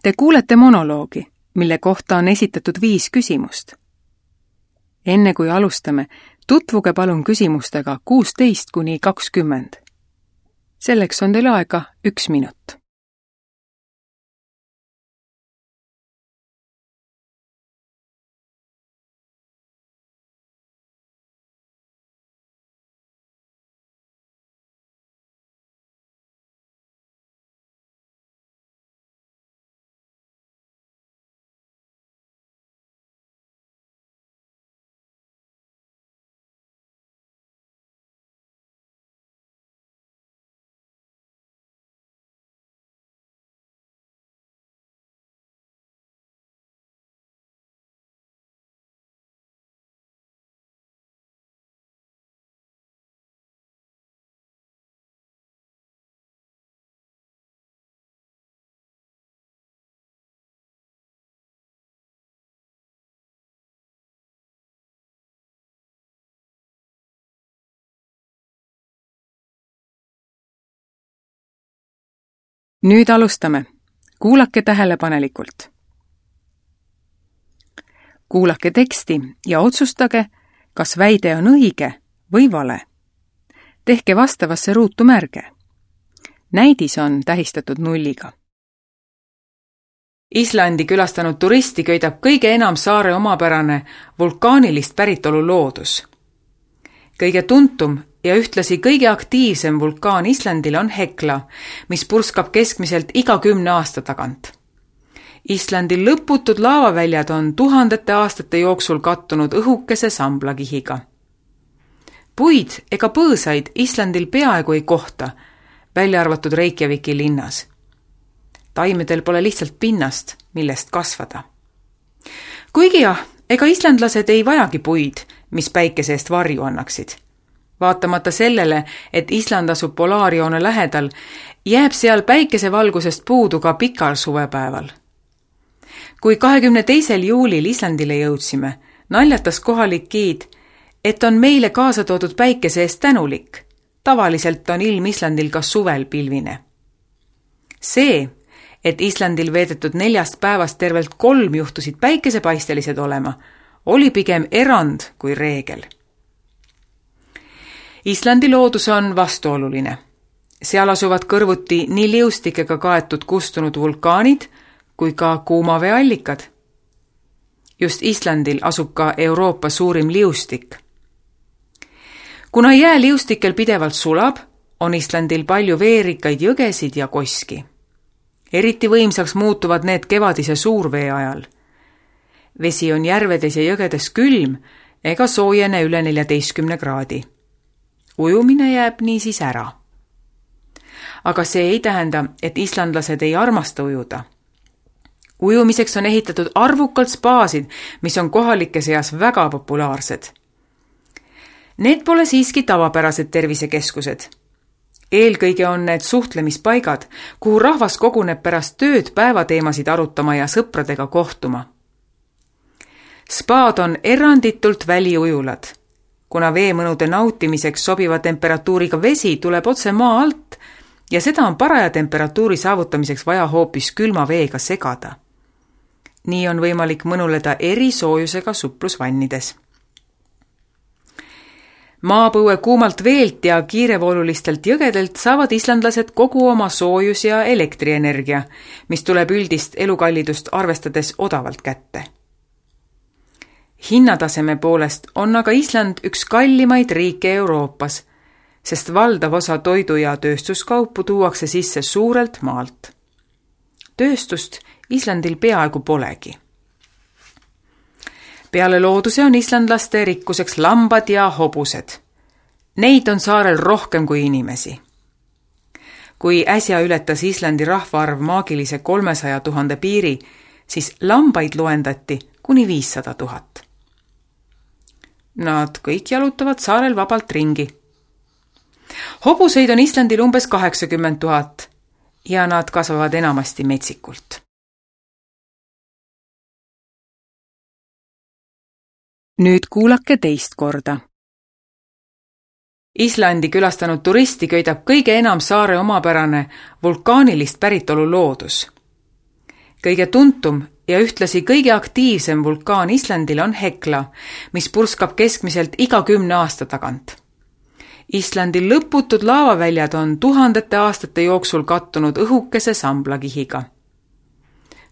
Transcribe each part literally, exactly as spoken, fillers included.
Te kuulete monoloogi, mille kohta on esitatud viis küsimust. Enne kui alustame, tutvuge palun küsimustega kuusteist kuni kakskümmend. Selleks on teil aega üks minut. Nüüd alustame. Kuulake tähelepanelikult. Kuulake teksti ja otsustage, kas väide on õige või vale. Tehke vastavasse ruutu märge. Näidis on tähistatud nulliga. Islandi külastanud turisti köidab kõige enam saare omapärane vulkaanilist päritolu loodus. Kõige tuntum ja ühtlasi kõige aktiivsem vulkaan Islandil on Hekla, mis purskab keskmiselt iga kümne aasta tagant. Islandil lõputud laavaväljad on tuhandete aastate jooksul kattunud õhukese samblakihiga. Puid ega põõsaid Islandil peaaegu ei kohta, välja arvatud Reykjaviki linnas. Taimedel pole lihtsalt pinnast, millest kasvada. Kuigi jah, ega islandlased ei vajagi puid, mis päikese eest varju annaksid. Vaatamata sellele, et Island asub polaarjoone lähedal, jääb seal päikesevalgusest puudu ka pikal suvepäeval. Kui kahekümne teisel juulil Islandile jõudsime, naljatas kohalik giid, et on meile kaasa toodud päikese eest tänulik. Tavaliselt on ilm Islandil ka suvel pilvine. See, et Islandil veedetud neljast päevast tervelt kolm juhtusid päikesepaistelised olema, oli pigem erand kui reegel. Islandi loodus on vastuoluline. Seal asuvad kõrvuti nii liustikega kaetud kustunud vulkaanid kui ka kuumaveeallikad. Just Islandil asub ka Euroopa suurim liustik. Kuna jää liustikel pidevalt sulab, on Islandil palju veerikaid jõgesid ja koski. Eriti võimsaks muutuvad need kevadise suurvee ajal. Vesi on järvedes ja jõgedes külm ega soojene üle neljateistkümne kraadi. Ujumine jääb niisiis ära. Aga see ei tähenda, et islandlased ei armasta ujuda. Ujumiseks on ehitatud arvukalt spaasid, mis on kohalike seas väga populaarsed. Need pole siiski tavapärased tervisekeskused. Eelkõige on need suhtlemispaigad, kuhu rahvas koguneb pärast tööd päevateemasid arutama ja sõpradega kohtuma. Spaad on eranditult väliujulad. Kuna veemõnude nautimiseks sobiva temperatuuriga vesi tuleb otse maa alt ja seda on paraja temperatuuri saavutamiseks vaja hoopis külma veega segada. Nii on võimalik mõnuleda erisoojusega suplusvannides. Maapõue kuumalt veelt ja kiirevoolulistelt jõgedelt saavad islandlased kogu oma soojus- ja elektrienergia, mis tuleb üldist elukallidust arvestades odavalt kätte. Hinnataseme poolest on aga Island üks kallimaid riike Euroopas, sest valdav osa toidu- ja tööstuskaupu tuuakse sisse suurelt maalt. Tööstust Islandil peaaegu polegi. Peale looduse on islandlaste rikkuseks lambad ja hobused. Neid on saarel rohkem kui inimesi. Kui äsja ületas Islandi rahvaarv maagilise kolmesaja tuhande piiri, siis lambaid loendati kuni viissada tuhat. Nad kõik jalutavad saarel vabalt ringi. Hobuseid on Islandil umbes kaheksakümmend tuhat ja nad kasvavad enamasti metsikult. Nüüd kuulake teist korda. Islandi külastanud turisti köidab kõige enam saare omapärane vulkaanilist päritolu loodus. kõige tuntum ja ühtlasi kõige aktiivsem vulkaan Islandil on Hekla, mis purskab keskmiselt iga kümne aasta tagant. Islandil lõputud laavaväljad on tuhandete aastate jooksul kattunud õhukese samblakihiga.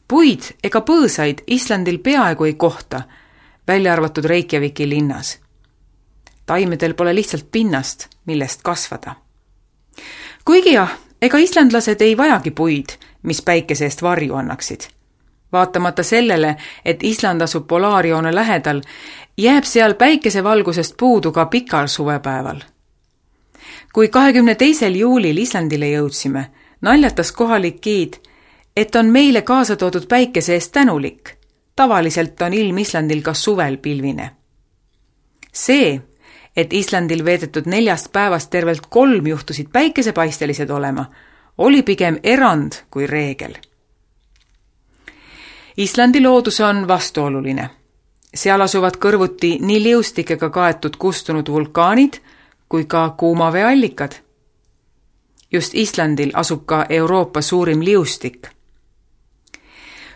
Puid ega põõsaid Islandil peaaegu ei kohta, välja arvatud Reykjaviki linnas. Taimedel pole lihtsalt pinnast, millest kasvada. Kuigi jah, ega islandlased ei vajagi puid, mis päikese eest varju annaksid. Vaatamata sellele, et Island asub polaarjoone lähedal, jääb seal päikesevalgusest puudu ka pikal suvepäeval. Kui kahekümne teisel juulil Islandile jõudsime, naljatas kohalik giid, et on meile kaasa toodud päikese eest tänulik. Tavaliselt on ilm Islandil ka suvel pilvine. See, et Islandil veedetud neljast päevast tervelt kolm juhtusid päikesepaistelised olema, oli pigem erand kui reegel. Islandi loodus on vastuoluline. Seal asuvad kõrvuti nii liustikega kaetud kustunud vulkaanid kui ka kuumaveeallikad. Just Islandil asub ka Euroopa suurim liustik.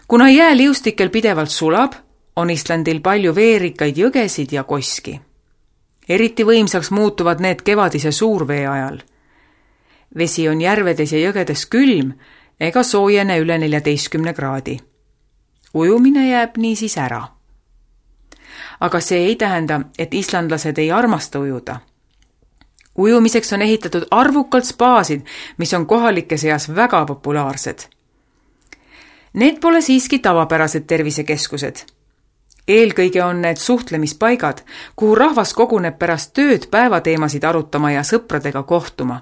Kuna jää liustikel pidevalt sulab, on Islandil palju veerikaid jõgesid ja koski. Eriti võimsaks muutuvad need kevadise suurvee ajal. Vesi on järvedes ja jõgedes külm ega soojene üle neljateistkümne kraadi. Ujumine jääb niisiis ära. Aga see ei tähenda, et islandlased ei armasta ujuda. Ujumiseks on ehitatud arvukalt spaasid, mis on kohalike seas väga populaarsed. Need pole siiski tavapärased tervisekeskused. Eelkõige on need suhtlemispaigad, kuhu rahvas koguneb pärast tööd päevateemasid arutama ja sõpradega kohtuma.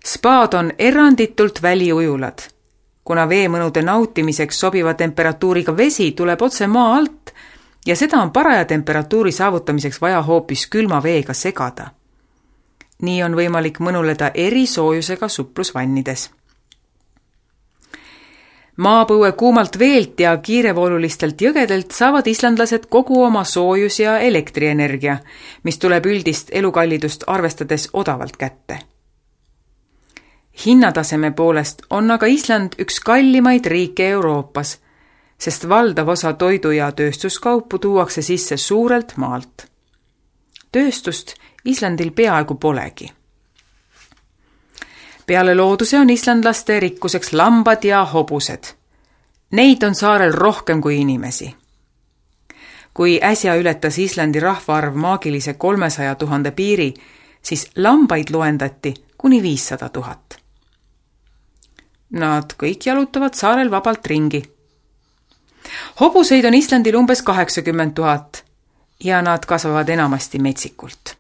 Spaad on eranditult väliujulad. Kuna veemõnude nautimiseks sobiva temperatuuriga vesi tuleb otse maa alt ja seda on paraja temperatuuri saavutamiseks vaja hoopis külma veega segada. Nii on võimalik mõnuleda erisoojusega suplusvannides. Maapõue kuumalt veelt ja kiirevoolulistelt jõgedelt saavad islandlased kogu oma soojus- ja elektrienergia, mis tuleb üldist elukallidust arvestades odavalt kätte. Hinnataseme poolest on aga Island üks kallimaid riike Euroopas, sest valdav osa toidu- ja tööstuskaupu tuuakse sisse suurelt maalt. Tööstust Islandil peaaegu polegi. Peale looduse on islandlaste rikkuseks lambad ja hobused. Neid on saarel rohkem kui inimesi. Kui äsja ületas Islandi rahvaarv maagilise kolmesaja tuhande piiri, siis lambaid loendati kuni viissada tuhat. Nad kõik jalutavad saarel vabalt ringi. Hobuseid on Islandil umbes kaheksakümmend tuhat ja nad kasvavad enamasti metsikult.